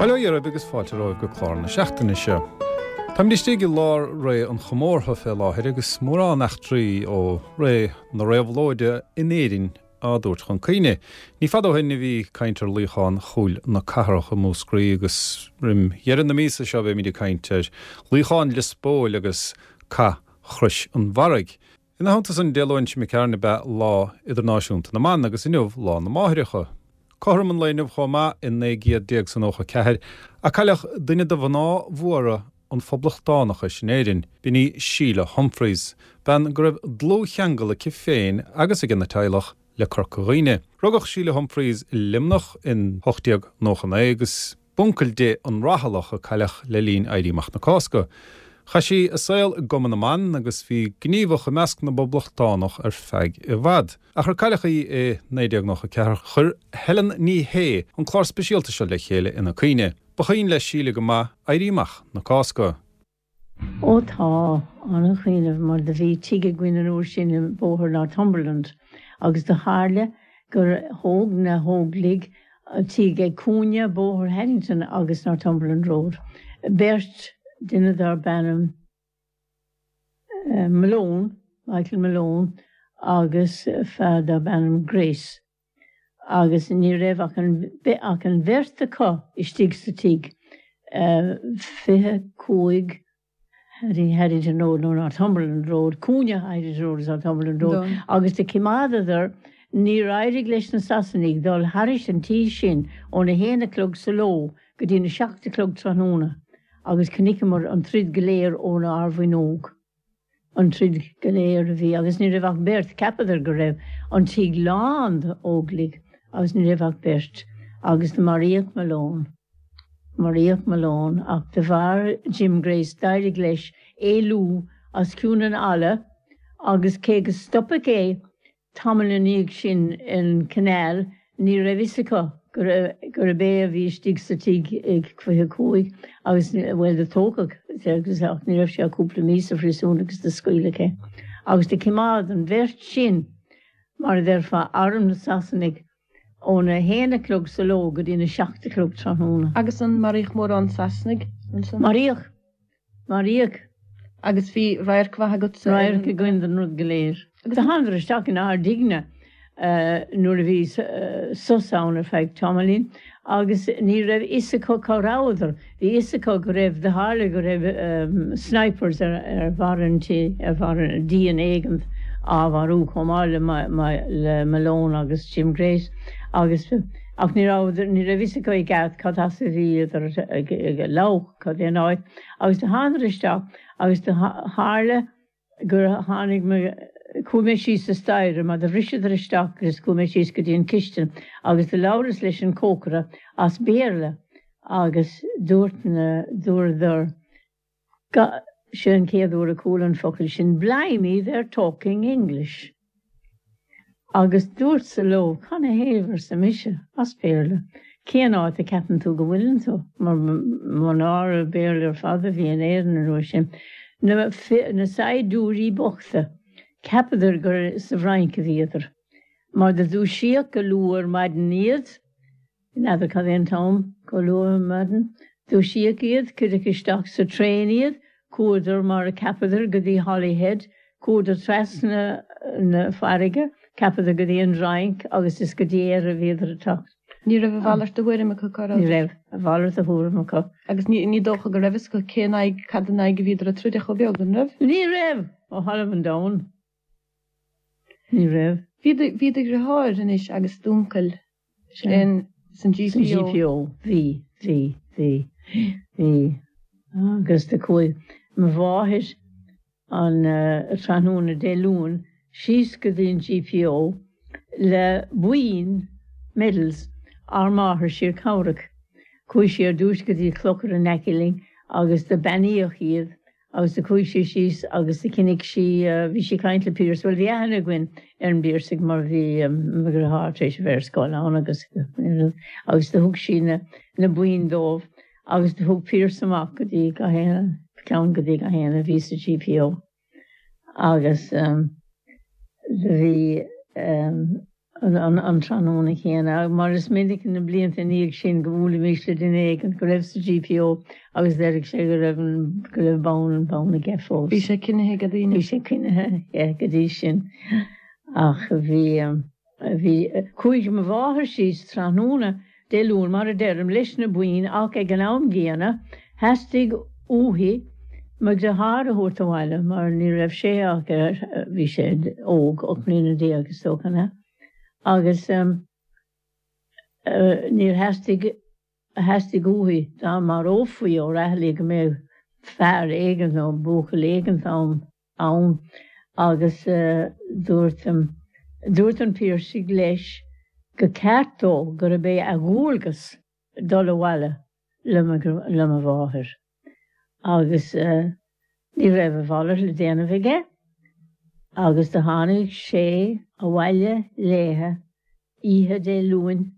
Bail ó Dhia oraibh agus fáilte romhaibh go clár na seachtaine seo. Táimid istigh i lár ré an chomórtha fé láthair agus mórán eachtraí ó ré na réabhlóide in Éirinn á dtabhairt chun cuimhne. Ní fada ó shin a bhí caint ar luíochán Chúil na Cathrach i Múscraí agus roim dheireadh na míosa seo beimid ag caint ar luíochán Lios Póil agus Cath Chrois an Bharraigh. Ina theannta san, Dé Luain seo imigh tharainn ab ea Lá Idirnáisiúnta na mBan agus inniu Lá na Máithreacha. Cothrom an lae inniu chomh maith, i 19 94, a cailleadh duine de mhná mhóra an phoblachtánachais in Éirinn, b'in í Síle Humphreys, bean go raibh dlúthcheangal aici féin agus ag a teaghlach le Corca Dhuibhne. Rugadh Síle Humphreys i Luimneach in 1899 agus b'uncail di an Rathailleach a cailleadh le linn Éirí Amach na Cásca. Chaith sí a saol i gCumann na mBan agus bhí gníomhach i measc na bPoblachtánach ar feadh i bhfad. Ach ar cailleadh í i 1994 chuir Helen Ní Shé an clár speisialta seo le chéile ina cuimhne. Ba chuimhin le Síle go maith Éirí Amach na Cásca. Ó tá, an-chuimhneamh mar do bhí tigh againn an uair sin i Bóthar Northumberland agus do tharla gur thóg na hÓglaigh tigh ag cúinne Bóthar Haddington agus Northumberland Road. Beirt, duine darb ainm Malone, Michael Malone agus fear darb ainm Grace. agus ní raibh ach an ach an bheirt acu istigh sa tigh. 25 Haddington Road nó Northumberland Road, cúinne Haddington Road is Northumberland Road, agus do cimeádadar, níor éirigh leis na Sasanaigh dul thairis an tí sin óna haon a chlog sa ló go dtí na seacht a chlog tráthnóna agus chonaiceamar an troid go léir ón ár bhfuinneog. an troid go léir a bhí agus ní raibh ach beirt, cheapadar go raibh an tigh lán d'Óglaigh agus ní raibh ach beirt agus do maraíodh Malone, maraíodh Malone ach de bharr Jim Grace d'éirigh leis éalú os cionn an fhalla agus cé go stopadh é Tamall ina dhiaidh sin in Canal ní raibh fhios acu gurb é a bhí istigh sa tigh ag 25 agus, bhuel, do tógadh agus ach ní raibh sé ach cúpla mí sa phríosún agus do scaoileadh é. Agus do cimeád an bheirt sin, mar a déarfá, arm na Sasanaigh óna haon a chlog sa ló go dtí na seacht a chlog tráthnóna. Agus an maraíodh mórán Sasanaigh ansan? Maraíodh. Maraíodh. Agus bhí radharc mhaith agatsa ar an. Radharc againn den rud go léir. Do thánadar isteach in ár dtighne nuair a bhí sos ann ar feadh tamaillín agus ní raibh fhios acu cá rabhadar. Bhí fhios acu go raibh, do tharla go raibh snipers ar bharr an tí, ar bharr an díon éigint á mharú chomh maith le Malone agus Jim Grace agus ach ní rabhadar, ní raibh fhios acu i gceart cad as a bhíodar ag lamhach. Cad é an áit? Agus do thánadar isteach agus do tharla gur tháinig mé, chuaigh mé síos sa staighre mar do bhriseadar isteach agus chuaigh mé síos go dtí an chistin agus do labhras leis an cócaire as Béarla agus dúirt na, dúradar, sé an chéad uair a chuala an focal sin, blimey they're talking English. Agus dúrtsa leo, Canathaobh, arsa mise, as Béarla, cén áit a ceapann tú go bhfuileann tú? Mar mo náire, Béarla ar fad a bhí in Éirinn an uair sin. Na na saighdiúirí bochta, cheapadar gur sa bhFrainc a bhíodar. Mar do dúisíodh go luath ar maidin iad, N'fheadar cad é an t-am, chomh luath ar maidin. Dúisíodh iad, cuireadh isteach sa traein iad, chuadar mar a cheapadar go dtí Holyhead, chuadar trasna na farraige, cheapadar go dtí an Fhrainc agus is go dtí Éire a bhíodar ag teacht. Ní raibh a mhalairt de thuairim acu cá rabhadar. Ní raibh a mhalairt de thuairim acu. Agus ní dócha go raibh fhios acu cén aghaidh, cad in aghaidh a bhíodar ag troid ach chomh beag, an raibh? Ní raibh! Ó thalamh an domhain. Ní raibh. Bhí do, bhí do dheartháir anois agus d'uncail in, san GPO. San GPO, bhí, bhí, bhí, bhí. Agus do chuaigh mo mháthair an tráthnóna Dé Luain síos go dtí an GPO le boinn, medals, ár máthar siar cabhrach. Chuaigh sí ar dtúis go dtí clochar in aice linn agus do beannaíodh iad Agus do chuaigh sí síos agus do chonaic sí, bhí sí ag caint le Pearse, bhuel bhí aithne againn ar an bPiarsach mar bhí mo dheartháir tar éis a bheith ar scoil ann agus agus do thug sí na na boinn dóibh agus do thug Pearse amach go dtí gach aon ceann go dtí gach aon a bhí sa GPO agus do bhí. An tráthnóna céanna, mar is minic na blianta ina dhiaidh sin go mbuailimis le duine éigin go raibh sa GPO agus déarfadh sé go raibh an, go raibh bonn, an bonn aige fós. Bhí sé coinnithe ag daoine. Bhí sé coinnithe aige go dtí sin. Ach bhí, bhí, chuaigh mo mháthair síos tráthnóna Dé Luain, mar a deirim, leis na boinn ach ag an am gcéanna theastaigh uaithi mo dheartháir a thabhairt abhaile mar ní raibh sé ach, bhí sé óg, 18 mbliana is dócha, an ea? Agus níor theastaigh, theastaigh uaithi dá marófaí O'Rahilly go mbeadh fear éigin nó buachaill éigin ann. ann agus dúirt dúirt an Piarsaigh leis gur ceart dó gurb é a dhualgas dul abhaile le mo le mo mháthair agus ní raibh a mhalairt le déanamh aige agus do tháinig sé abhaile léithe oíche Dé Luain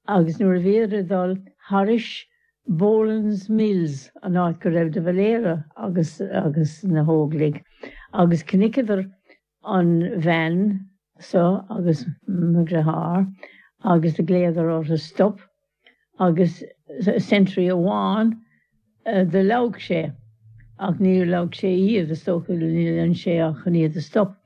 Agus nuair a bhíodar ag dul thairis Boland's Mills, an áit go raibh de Valera agus agus na hÓglaigh, agus chonaiceadar an bhean so agus mo dheartháir agus do ghlaodar orthu stop agus sentry amháin do leag sé ach níor leag sé iad, is dócha, níor dhein sé ach chun iad a stop.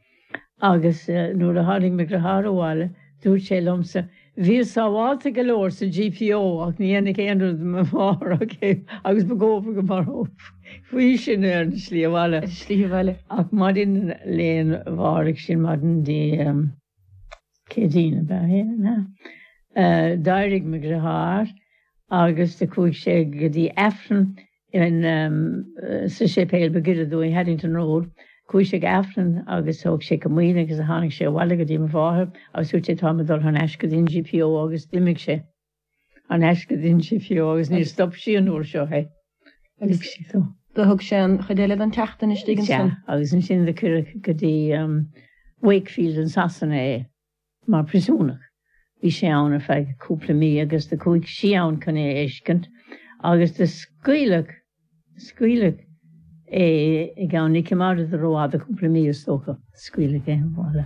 Agus nuair a tháinig mo dheartháir abhaile, dúirt sé liomsa, Bhíos sábhálta go leor sa GPO ach ní dhéanfadh aon rud do mo mháthair ach é agus ba dhóbair go marófaí sinn ar an tslí abhaile. Ar an tslí abhaile. Ach maidin lae mháireach sin, maidin Dé Céadaoin ab ea é, an ea? D'éirigh mo dheartháir agus do chuaigh sé go dtí Aifreann in sa séipéal ba ghaire dúinn, Haddington Road. Chuaigh sé go Aifreann agus thóg sé comaoin agus tháinig sé abhaile go dtí mo mháthair agus dúirt sé táim ag dul thar n-ais go dtí an GPO agus d'imigh sé thar n-ais go dtí an GPO agus níor stop sí an uair seo é. Agus do thug sé an chuid eile den tseachtain istigh ansan. Sea, agus ansin do cuireadh go dtí Wakefield in Sasana é. Mar phríosúnach. Bhí sé ann ar feadh cúpla mí agus do chuaigh sí ann chun é a fheiscint agus do scaoileadh, scaoileadh é i gceann, ní choimeádadar rófhada, cúpla mí is dócha, scaoileadh é abhaile.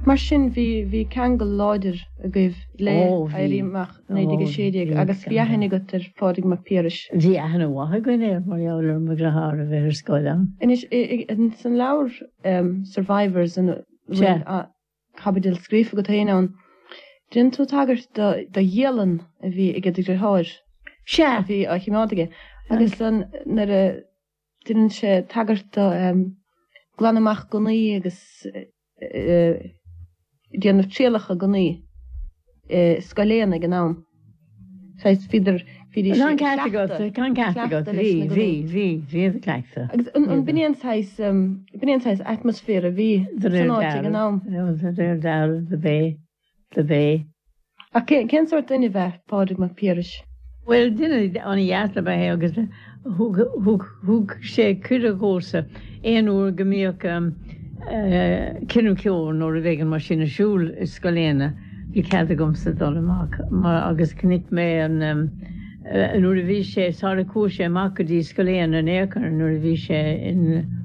Mar sin bhí, bhí ceangal láidir agaibh le Éirí Amach 1916 agus bhí aithne agat ar Phádraig Mac Piarais. Bhí aithne mhaith againn air mar gheall ar mo dheartháir a bheith ar scoil ann. Anois, san leabhar Survivors ina bhfuil caibidil scríofa agat féin ann. Déanann tú tagairt do dhialann a bhí ag do dheartháir. Sea. A bhí á choimeád aige. Agus nuair a déanann sé tagairt do glanadh amach gunnaí agus déanamh trialacha gunnaí i Scoil Éanna ag an am. Saghas, bhíodar, bhídís ag cleachtadh, Tá an ceart agat, bhí, bhí, bhí, bhí ag cleachtadh. Agus an b'in é an saghas, b'in é an saghas atmaisféar a bhí san áit ag an am? De réir dealraimh, do b'é, do b'é. Ach cén sórt duine ab ea Pádraig Mac Piarais? Bhuel, duine an-dheas ab ea é agus thug, thug, thug sé cuireadh dhomhsa aon uair go mbíodh cruinniú ceoil nó rud éigin mar sin ar siúl i Scoil Éanna. Bhí cead agamsa dul amach mar agus chonaic mé an nuair a bhí sé sara chuaigh sé amach go dtí Scoil Éanna in aon chor nuair a bhí sé in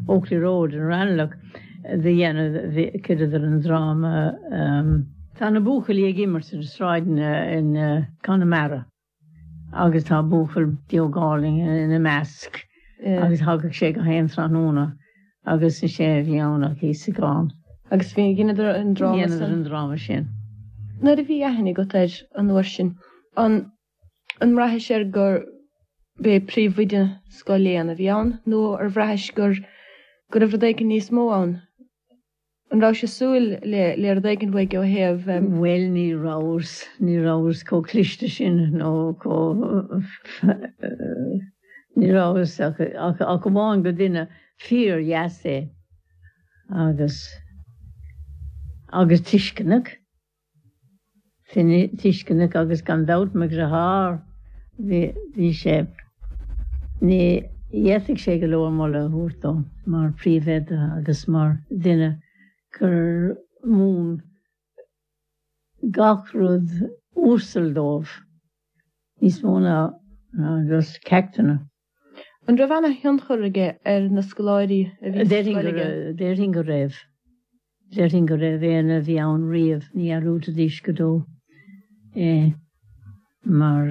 Oakley Road in Ranelagh do dhéanamh chuireadar an dráma Tá na buachaillí ag imirt ar na sráideanna in Conamara. Agus tá buachaill beag álainn ina measc agus thagadh sé gach aon tráthnóna agus is é a bhí ann ach Íosagán. Agus bhí, dheineadar an dráma san. Dheineadar an dráma sin. Nuair a bhí aithne agat air an uair sin, an an mbraithis air gur b'é príomhoide Scoil Éanna a bhí ann nó ar bhraithis gur go raibh rud éigin níos mó ann? An rabhais ag súil le le rud éigin uaidh ó thaobh. Bhuel, ní rabhas, ní rabhas chomh cliste sin nó chomh, ní rabhas ach, ach, ach amháin gur duine fíor-dheas é agus, agus tuisceanach. Tuisceanach agus gan dabht mo dheartháir bhí sé. Ní fhéadfadh sé go leor moladh a thabhairt dó mar phríomhoide agus mar dhuine gur mhúin gach rud uasal dóibh, níos mó ná just ceachtanna. An raibh ana-thionchar aige ar na scoláirí a bhí sa scoil aige? Déarfainn go raibh. Déarfainn go raibh éinne a bhí ann riamh, ní dhearúdfaidís go deo é mar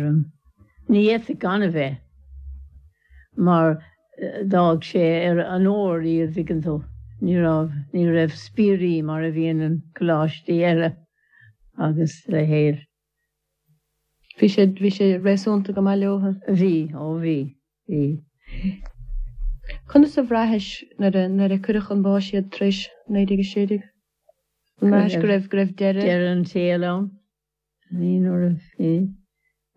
ní fhéadfadh gan a bheith mar d'fhág sé ar an ór iad, dtuigeann tú. Ní raibh, ní raibh spiairí mar a bhíonn in coláistí eile agus a leithéid. Bhí sé, bhí sé réasúnta go maith leothu. Bhí, ó bhí, bhí. Conas a bhraithis nuair a, nuair a cuireadh chun báis iad tar éis 1916? An mbraithis go raibh, go raibh deireadh. Deireadh an tsaoil ann? Ní nuair a bhí,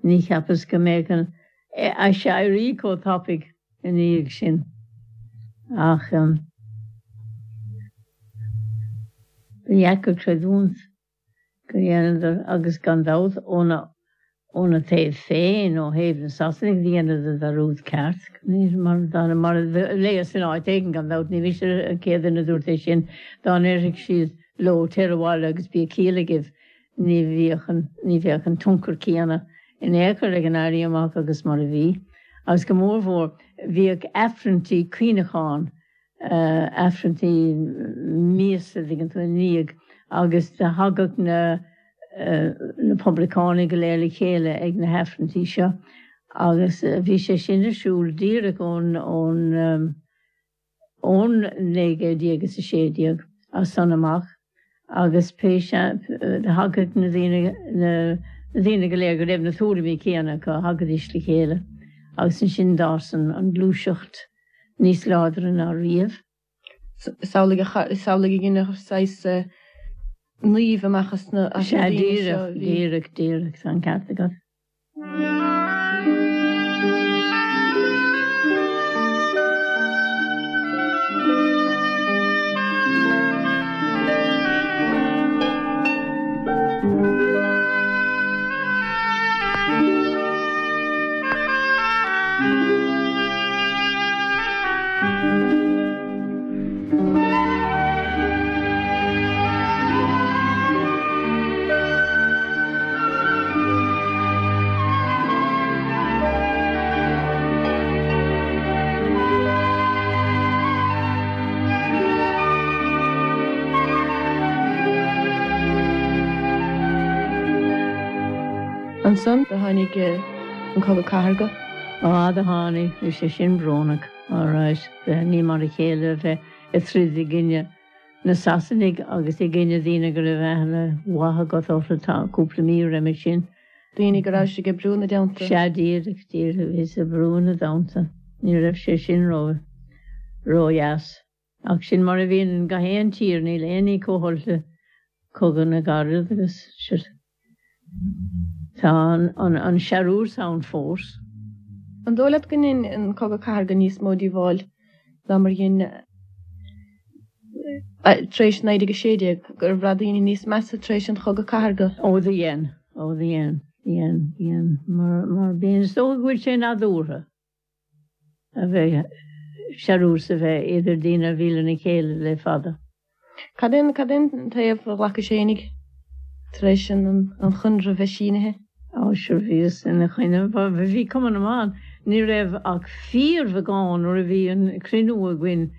ní cheapas go mbeadh an aiséirí chomh tapaidh ina dhiaidh sin ach ba dheacair creidiúint. go ndéanadar agus gan dabht óna óna taobh féin, ó thaobh na Sasanaigh, dheineadar dearúd ceart, mar mar a léas in áit éigin, gan dabht, ní mise an chéad duine a dúirt é sin, dá ndéarfadh siad leo téir abhaile agus bíodh ciall agaibh, ní bhíodh an ní bheadh an tionchar céanna in aon chor ag an Éirí Amach agus mar a bhí. Agus go mórmhór, bhíodh Aifrinntí cuimhneacháin Aifrinntí míosa, dtuigeann tú, ina ndiaidh agus do thagadh na na poblachtánaigh go léir le chéile ag na hAifrinntí seo agus bhí sé sin ar siúl díreach ón ón ón 1916 as san amach agus pé thagadh na daoine na daoine go léir go raibh na tuairimí céanna acu, thagaidís le chéile agus ansin d'fhás an an gluaiseacht. níos láidre ná riamh. Samhlaigh a samhlaigh a dhéanamh saghas naoimh amach as na Sea, daoine seo a bhí. Díreach, díreach, tá an ceart agat. Ansan do tháinig an Cogadh Cathartha. Á, do tháinig, bhí sé sin brónach, alright, ní mar a chéile a bheith ag troid i gcoinne na Sasanaigh agus i gcoinne daoine go raibh aithne mhaith agat orthu cúpla mí roimhe sin. Daoine go raibh ag oibriú ina dteannta. Sea, díreach, díreach, bhíos ag oibriú ina dteannta. Ní raibh sé sin ró, ródheas. Ach sin mar a bhíonn in gach aon tír, níl aon ní chomh holc le cogadh na gcarad agus sure tá an searús ann fós. An dóigh leat go ndein an cogadh cathartha níos mó díobháil ná mar dhein tar éis 1916, gur bhraith daoine níos measa tar éis an chogadh cathartha? Ó do dhein, ó do dhein, dhein, dhein, mar, mar bíonn, is dócha go bhfuil sé nádúrtha. a bheith, searús a bheith idir daoine a bhí lena chéile le fada. Cad é cad é an taobh a ghlacais fhéinig tar éis an an chonradh bheith sínithe? Á sure bhíos ina choinne. Bhí Cumann na mBan, ní raibh ach fíorbheagán nuair a bhí an cruinniú againn,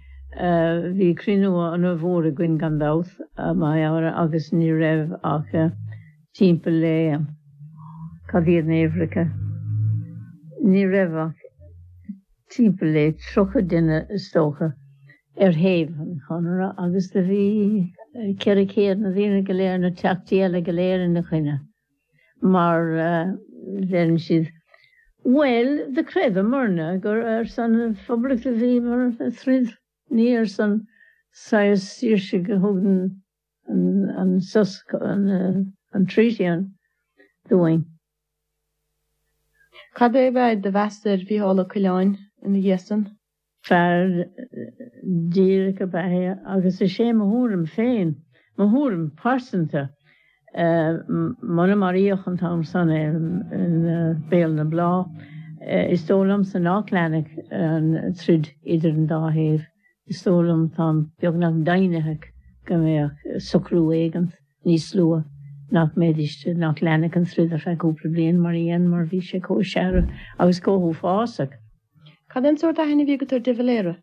bhí cruinniú ana mhór againn gan dabht, agus ní raibh ach timpeall le, cad iad na huimhreacha, ní raibh ach timpeall le 30 duine is dócha ar thaobh an Chonartha agus do bhí 400 na daoine go léir, na teachtaí eile go léir ina choinne mar deireann siad, bhuel do chreideamarna gur ar son an Phoblacht a bhíomar ag troid, ní ar son saghas saoirse go thugann an sos, an treaty an dúinn. Cad é ab é do mheas ar Mhícheál Ó Coileáin ina dhiaidh san? Fear díreach ab ea é agus is é mo thuairim féin, mo thuairim pearsanta, muna maraíodh an t-am san é i Béal na Bláth, is dóigh liomsa nach leanfadh an troid idir an dá thaobh. Is dóigh liom, táim beagnach deimhnitheach go mbeadh socrú éigint níos luath, nach mbeidís, nach leanfadh an troid ar feadh cúpla bliain mar a dhein, mar bhí sé chomh searbh agus chomh huafásach. Cad é an sórt aithne a bhí agat ar de Valera?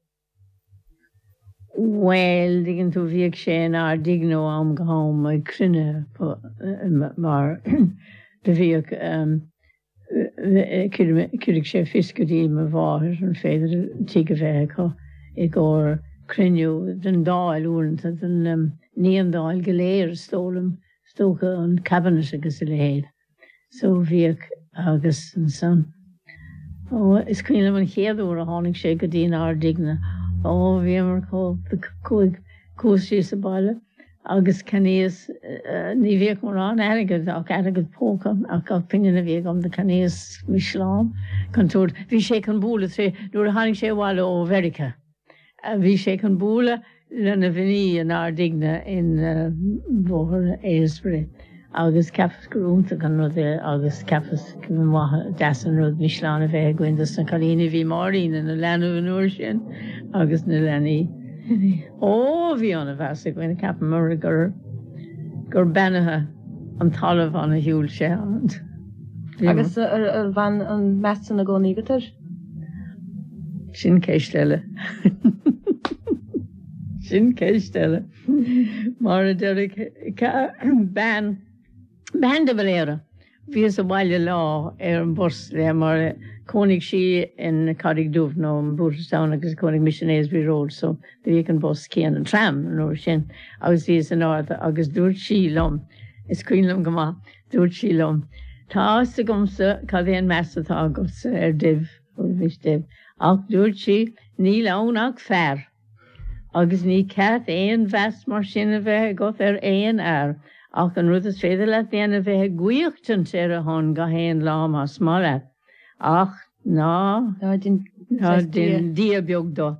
Bhuel, dtuigeann tú, bhíodh sé inár dtigh-ne ó am go ham ag cruinnithe mar do bhíodh, chuireadh sé fios go dtí mo mháthair an féidir tigh a bheith acu i gcomhair cruinniú den Dáil uaireanta, den, ní an Dáil go léir is dóigh liom, is dócha an Cabinet agus a leithéid. So bhíodh agus ansan, ó, is cuimhin liom an chéad uair a tháinig sé go dtí ár dtigh-ne, ó, bhíomar chomh, chuaigh, chuas síos abhaile agus cheannaíos, ní bhíodh mórán airgead ach airgead póca ach gach pingin a bhí agam do cheannaíos misleán chun tabhairt, bhí sé chun bualadh tré, nuair a tháinig sé abhaile ó Mheiriceá. Bhí sé chun bualadh lena mhnaoi inár dtigh-ne in Bóthar Ailesbury agus cheapas gur iontach an rud é agus cheapas gur maith deas an rud misleán a bheith againn dos na cailíní. Bhí Máirín ina leanbh an uair sin agus na leanaí. Ó, bhí ana mheas againn, cheapamar gur gur beannaithe an talamh ann a shiúil sé ann. Agus ar bhain an meas san i gcónaí agat air? Sin ceist eile. Sin ceist eile. Mar a déarfadh bean, bean de Valera, bhíos abhaile lá ar an bhus léi mar chónaigh sí in Carraig Dubh nó in Booterstown agus chónaigh mise in Ailesbury Road so do bhíodh an bus céanna, an tram an uair sin agus bhíos in airde agus dúirt sí liom, is cuimhin liom go maith, Dúirt sí liom, Tá a fhios agamsa cad é an meas atá agatsa ar Dev, bhí Dev, ach dúirt sí, níl ann ach fear, agus ní ceart aon mheas mar sin a bheith agat ar aon fhear, ach an rud is féidir leat déanamh bheith ag guíochtaint ar a shon gach aon lá más maith leat, ach ná déan Dia beag do.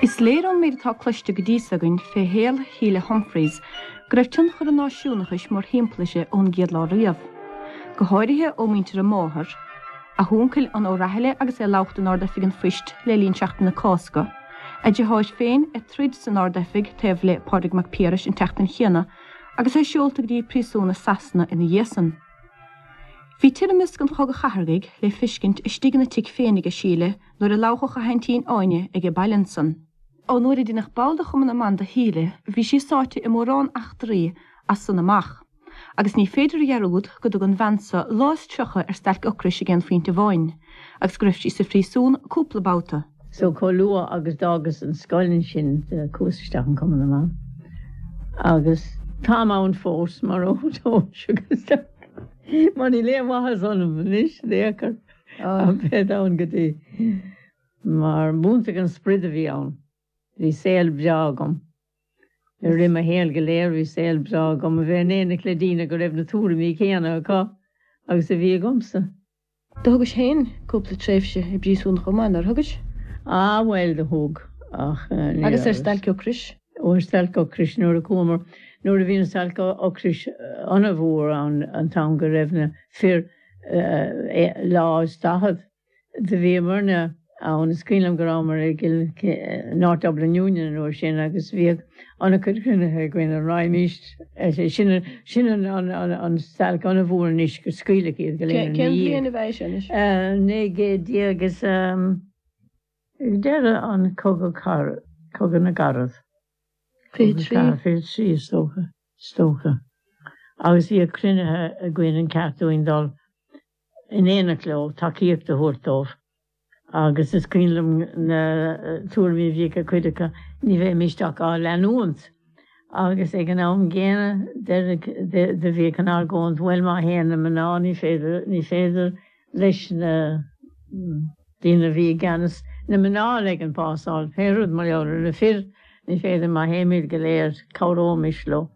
Is léir ón méid atá cloiste go dtí so againn fé shaol Shíle Humphreys go raibh tionchar an náisiúnachais mórthimpeall uirthi ón gcéad lá riamh. go háirithe ó mhuintir a máthar, a huncail an O'Rahilly agus é ag labhairt in Ard-Oifig an Phoist le linn Seachtain na Cásca, a deartháir féin ag troid san Ard-Oifig taobh le Pádraig Mac Piarais an tseachtain chéanna agus é seolta go dtí príosún i Sasana ina dhiaidh san. Bhí toirmeasc an Chogaidh Chatharthaigh le feiscint istigh ina tigh féin aige Síle nuair a labhródh a haintín Áine aige baile ansan. Ón uair a deineadh ball de Chumann na mBan de Shíle bhí sí sáite i mórán eachtraí as san amach. Agus ní féidir a dhearúd go dtug an bhean so lá is 30 ar stailc ocrais ag aon phointe amháin, agus go raibh sí sa phríosún cúpla babhta. So chomh luath agus d'fhágas an scoil ansin chuas isteach in Cumann na mBan agus táim ann fós mar ó agus mar níl aon mhaitheas ionam anois in aon chor a bheith ann go dtí mar b'iontach an sprid a bhí ann. Bhí saol breá agam. I rith mo shaoil go léir bhí saol breá agam a bheith in éineacht le daoine go raibh na tuairimí céanna acu agus a bhí agamsa. Do thugais féin cúpla tréimhse i bpríosún chomh maith, nár thugais? Ah bhuel do thug, ach ní raibh. Agus ar stailc ocrais? Ó ar stailc ocrais nuair a chuamar, nuair a bhí an stailc ocrais an-mhór ann an t-am go raibh na fir lá is 40. Do bhíomarna ann, is cuimhin liom go rabhamar i gCill North Dublin Union an uair sin agus bhíodh an-chuid cruinnithe againn an raghaimís, sin sin an stailc an-mhór anois gur scaoileadh iad go léir ina dhiaidh. Cén bhliain a bhí sin anois? 1900 is ag deireadh an cogadh cogadh na gCarad. 23. 23 is dócha, is dócha. Agus bhíodh cruinnithe againn an ceart dúinn dul in éineacht leo, tacaíocht a thabhairt dóibh agus is cuimhin liom na tuairimí a bhíodh ag cuid acu, ní bheimíst ach á leanúint. Agus ag an am gcéanna do bhíodh an argóint, bhuel má théann na mná ní féidir, ní féidir leis na daoine a bhí i gceannas na mná a ligean pasáil, pé rud mar gheall ar na fir. Ní féidir má théimid go léir cabhróimis leo.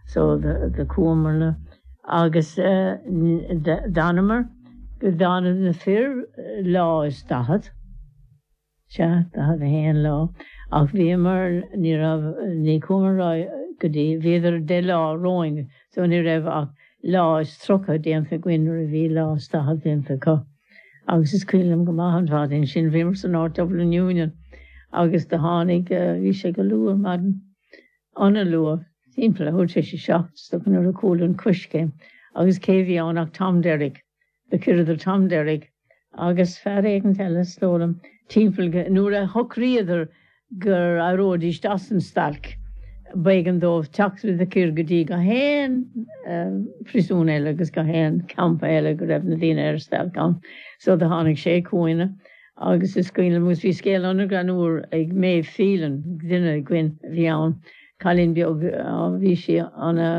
So do chuamarna agus d'fhanamar go dtáinig na fir lá is 40, sea, 41 lá, ach bhíomar, ní raibh, ní chuamar ar aghaidh go dtí, bhíodar 10 lá romhainn so ní raibh ach lá is 30 déanta againn nuair a bhí lá is 40 déanta acu. Agus is cuimhin liom go maith an mhaidin sin, bhíomar sa North Dublin Union agus do tháinig, bhí sé go luath ar maidin, ana-luath, timpeall a huair tar éis a 7, is dócha nuair a chuala an coiscéim agus cé bhí ann ach Tom Derrick. Do chuireadar Tom Derrick agus fear éigint eile, is dóigh liom, timpeall go, nuair a shocraíodar gur éireoidís as an stailc, b'éigean dóibh teacht le cur go dtí gach aon phríosún eile agus gach aon campa eile go raibh na daoine ar stailc ann. So do tháinig sé chugainne agus is cuimhin liom, agus bhí scéal an-ghreannmhar ag Maeve Phelan, duine againn a bhí ann, cailín beag, bhí sí ana,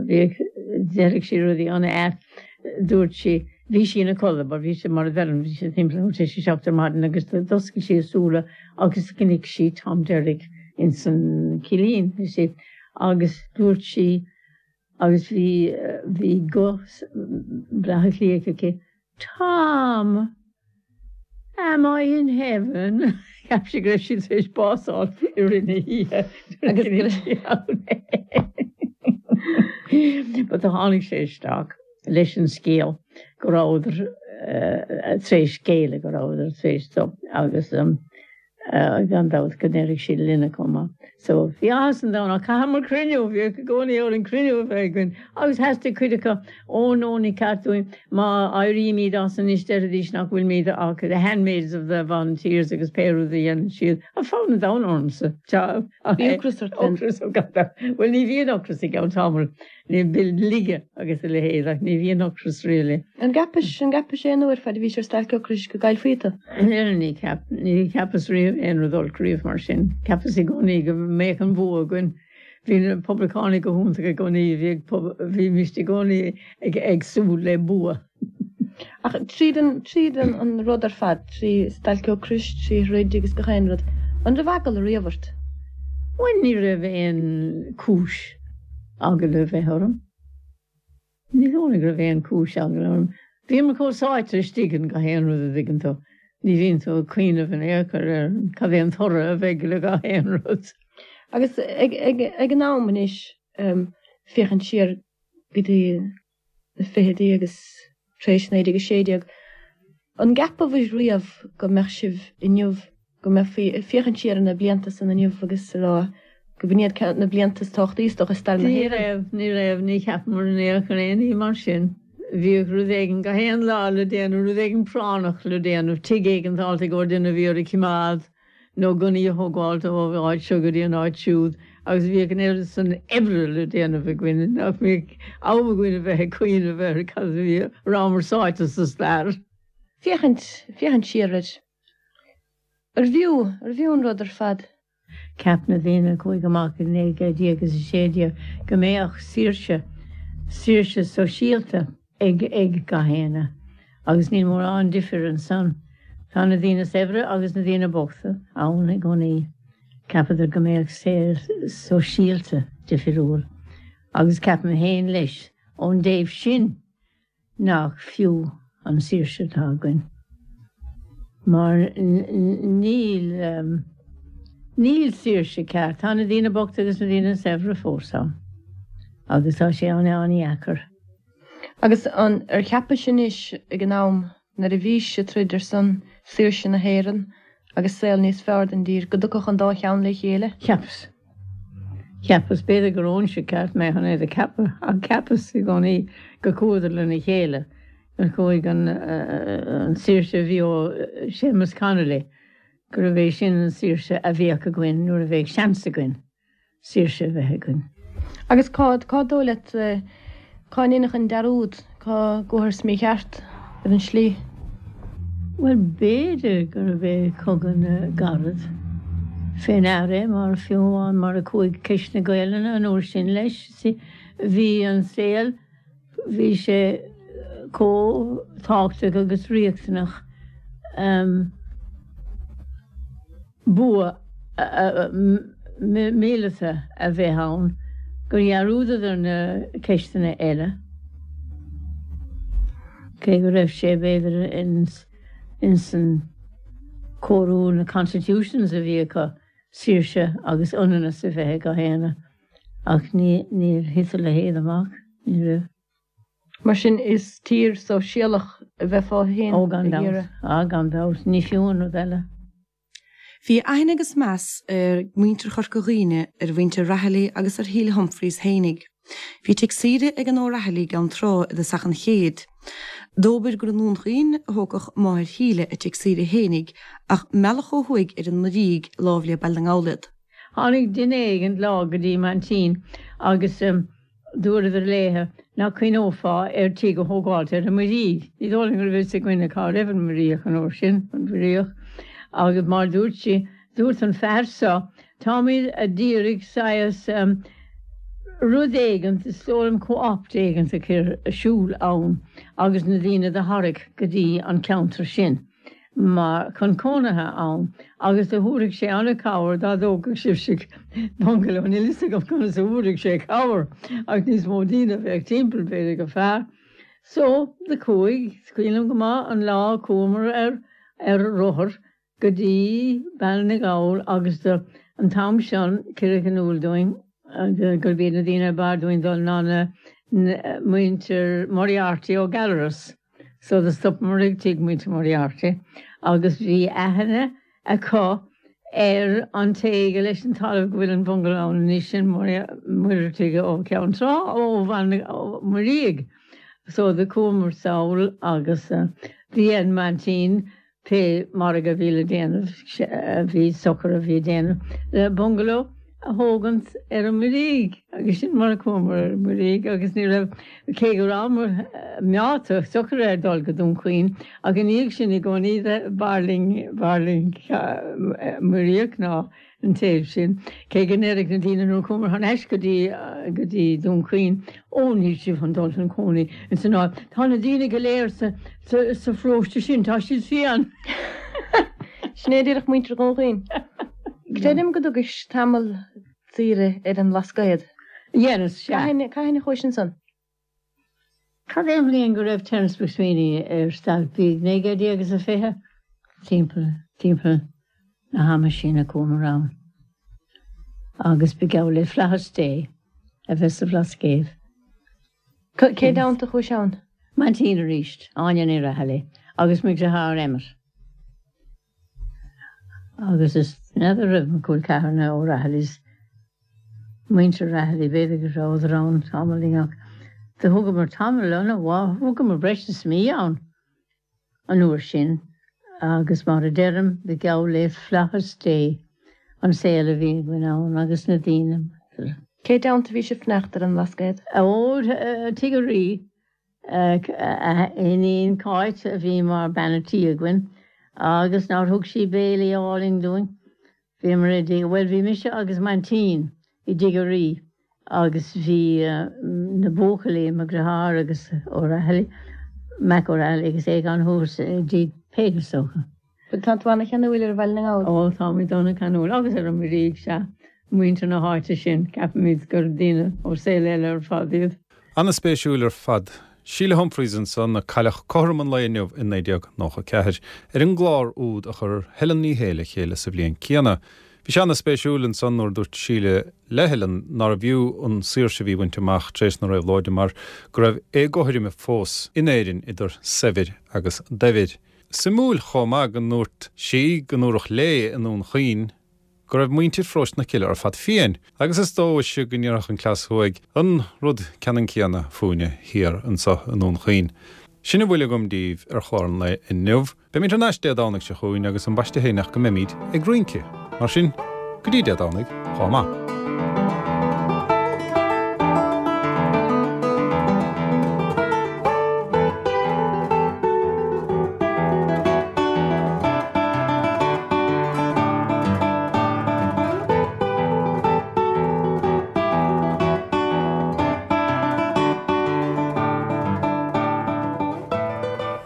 bhíodh, deireadh sí rudaí ana-ait, dúirt sí, bhí sí ina codladh, mar bhí sé, mar a deirim, bhí sé timpeall a huair tar éis a 7 ar maidin agus d'oscail sí a súile agus chonaic sí Tom Derrick ins an cillín, you see, agus dúirt sí, agus bhí, bhí guth Bhaile Átha Cliath aici, Tom! Am I in heaven? Cheap sí go raibh sí tar éis bás a fháil i rith na hoíche agus go raibh sí ann. But do tháinig sé isteach leis an scéal go rabhadar tar éis géilleadh, go rabhadar tar éis so agus Gan dabht go ndéarfaidh siad linne chomh maith. So, bhí áthas an domhain ach chaitheamar cruinniú, bhíodh i gcónaí orainn cruinniú a bheith againn agus theastaigh cuid acu, ó no ní ceart dúinn, má éirímid as anois déarfaidís nach bhfuilimid ach the handmaids of the volunteers agus pé rud a dhéanann siad. Ach fonn an domhain ormsa. Bhí ocras ort then? Ocras, ó gan dabht. Bhuel ní bhíonn ocras i gceann tamaill. Ní bhíonn laige agus a leithéid ach ní bhíonn ocras really. An gceapais, an gceapais aon uair fad a bhís ar stailc ocrais go gcaillfí tú? Níor, ní cheap, ní cheapas riamh aon rud olc riamh mar sin. Cheapas i gcónaí go mbeadh an bua againn. Bhí na poblachtánaigh go hiontach i gcónaí, bhíodh, bhímist i gcónaí ag, ag súil le bua. Ach tríd an, tríd an, an rud ar fad, trí stailc ocrais, trí throid agus gach aon rud, an raibh eagla riamh ort? Bhuel, ní raibh aon chúis eagla a bheith orm. Ní dóigh liom go raibh aon chúis eagla orm. Bhíomar chomh sáite istigh in gach aon rud a dtuigeann tú. Ní bhíonn tú ag cuimhneamh in aon chor ar cad é an toradh a bheidh le gach aon rud. Agus ag, ag, ag an am anois, féachaint siar go dtí na fichidí agus tar éis 1916, an gceapabhaibh riamh go mbeadh sibh inniu, go mbeifí ag féachaint siar ar na blianta san inniu agus ag rá go b'in iad na blianta is tábhachtaí is dócha i stair na Ní hÉireann? raibh, ní raibh, ní cheapamar in aon chor aon ní mar sin. Bhíodh rud éigin gach aon lá le déanamh, rud éigin práinneach le déanamh, tigh éigin fáilte i gcomhair duine a bhí ar a choimeád, nó gunnaí a thógáilt ó áit seo go dtí an áit siúd agus bhíodh an oiread san oibre le déanamh againn nach mbíodh am againn a bheith ag cuimhneamh ar cad a bhí, a rabhamar sáite sa stair. Féachaint, féachaint siar air. Arbh fhiú, arbh fhiú an rud ar fad? Cheap na daoine a chuaigh amach i 1916 go mbeadh saoirse, saoirse sóisialta ag ag gach éinne. Agus níl mórán difir ansan. Tá na daoine saibhre agus na daoine bochta ann i gcónaí. Cheapadar go mbeadh saol sóisialta difiriúil. Agus ceapaim féin leis, ón dtaobh sin, nach fiú an saoirse atá againn. Mar níl, níl saoirse ceart. Tá na daoine bochta agus na daoine saibhre fós ann. Agus tá sé an-an-dheacair. Agus an ar cheapais anois ag an am nuair a bhís ag troid ar son saoirse na hÉireann agus saol níos fearr don dtír go dtiocfadh an dá cheann le chéile? Cheapas. Cheapas. B'fhéidir go raibhse ceart mé chun é do cheapadh ach cheapas i gcónaí go chuadar lena chéile, gur chuaigh an an saoirse a bhí ó Séamus Connolly, gurbh é sin an saoirse a bheadh againn nuair a bheadh seans againn. saoirse a bheith againn. Agus cá, cá dóigh leat, cá ndéanadh an dearúd, cá gcuathas mícheart ar an slí? Bhuel, b'fhéidir gurbh é Cogadh na gCarad fé ndear é, mar fiú amháin mar a chuaigh ceist na Gaelainne an uair sin leis, bhí an saol, Bhí sé chomh tábhachtach agus riachtanach bua míleata a bheith ann gur dhearúdadar na ceisteanna eile, cé go raibh sé b'fhéidir ins an cóiriú na constitutions a bhí acu saoirse agus ionannas a bheith ag gach éinne. Ach ní, níor thit a leithéid amach, ní raibh. Mar sin, is tír sóisialach a bheifeá féin Ó, gan ag dabht. iarraidh. Á, gan dabht. Ní fiú an rud eile. Bhí aithne agus meas ag muintir Chorca Dhuibhne ar mhuintir Rahilly agus ar Shíle Humphreys fhéinig. Bhí tigh saoire ag an O'Rahilly i gCeann Trá i dtosach an chéid. Dóbair gur i nDún Chaoin a thógfadh máthair Shíle a tigh saoire fhéinig ach mbealach ó thuaidh ar an Muirígh lámh le Baile na nGall iad. Tháinig duine éigint lá go dtí m'aintín agus Dúradar léithe nach cuimhneofá ar tigh a thógáilt ar an Muirígh. Ní dóigh liom go raibh fhios againne cá raibh an Muiríoch an uair sin, an Mhuiríoch, agus mar dúirt sí, dúirt an fear so, táimid a d'iarraidh saghas rud éigint, is dóigh liom co-op éigint a chur ar siúl ann agus na daoine do tharrac go dtí an ceantar sin. mar chun cónaithe ann agus do thabharfadh sé an-chabhair dá dtógfadh sibhse bungaló. Níl fhios agam conas a thabharfadh sé cabhair ach níos mó daoine a bheadh timpeall b'fhéidir go fearr. So, do chuaigh, is cuimhin liom go maith an lá a chuamar ar ar rothar go dtí Baile na nGall agus do an t-am sin cuireadh in iúl dúinn gurb iad na daoine ab fhearr dúinn dul ná na muintir Moriarty ó Gallarus. So do stopamar ag tigh muintir Moriarty agus bhí aithne acu ar an té gur leis an talamh go bhfuil an bhungaló ann anois, sin Muireadhaigh ó Cheann Trá, ó Bhaile na Muirígh. So do chuamar sall agus do dhein m'aintín Pé margadh a bhí le déanamh, a bhí socair a bhí le déanamh le bungaló a thógaint ar an Muirígh agus sin mar a chuamar ar an Muirígh agus ní raibh, cé go rabhamar meáite socair ar dul go Dún Chaoin ach ina dhiaidh sin i gcónaí b'fhearr linn, b'fhearr linn Muiríoch ná an taobh sin, cé go ndéarfadh na daoine nuair a chuamar thar n-ais go dtí, go dtí Dún Chaoin, Ó, níl sibh chun dul chun cónaí ins an áit, tá na daoine go léir sa, sa, sa pharóiste sin, tá siad fiáin. Sin é a déarfadh muintir Dhún Chaoin. Creidim go dtugais tamall saoire ar an mBlascaod. Dheineas, sea. Cathain, cathain a chuais ansan? Cad é an bhliain go raibh Terence MacSwiney ar stailc? Bhí 1920? Timpeall, timpeall na hama sin a chuamar ann. Agus ba gheall le flaitheas Dé a bheith sa Bhlascaod. Cé dteannta a chuais ann? M'aintín arís, Áine Ní Raghallaigh, agus mo dheartháir Emmet. Agus is n'fheadar raibh mo chol ceathar na O'Rahillys, muintir Rahilly, b'fhéidir go rabhadar ann tamaillín ach do thugamar tamall an-mhaith, thugamar breis is mí ann an uair sin agus mar a deirim, ba gheall le flaitheas Dé an saol a bhí againn ann agus na daoine. Cé dteannta a bhí sibh fanacht ar an mBlascaod? Ó, Tigh an Rí. A iníon Cáit a bhí mar bean a' tí againn agus nár thug sí béilí álainn dúinn. Bhíomar i dtigh, bhuel bhí mise agus m'aintín i dtigh a' Rí agus bhí na buachaillí, mo dheartháir agus O'Rahilly, Mac O'Rahilly agus Aogán thuas i dtigh Peig is dócha. Tá tú ana-cheanúil ar Bhaile na nGall. Ó, táimid ana-cheanúil, agus ar an Muirígh, sea. Muintir na háite sin, ceapaimid gur daoine ó saol eile ar fad iad. Ana-spéisiúil ar fad. Síle Humphreys ansan, a cailleadh cothrom an lae inniu i 1994, ar an gclár úd a chuir Helen Ní Shé le chéile sa bhliain céanna. Bhí sé ana-spéisiúil ansan nuair a dúirt Síle le Helen nárbh fhiú an saoirse a bhí bainte amach tar éis na réabhlóide mar go raibh éagothroime fós in Éirinn idir saibhir agus daibhir. Suimiúil chomh maith go ndúirt sí go ndúradh léi i nDún Chaoin go raibh muintir Pharóiste na Cille ar fad fiáin, agus is dóiche go ndéarfadh an cleas thuaidh an rud ceannann céanna fúinne thiar anseo i nDún Chaoin. Sin a bhfuil agam daoibh ar chlár an lae inniu. Beimid thar n-ais Dé Domhnaigh seo chugainn agus ambaiste féin ach go mbeimid ag rince. Mar sin, go dtí Dé Domhnaigh, chomh maith.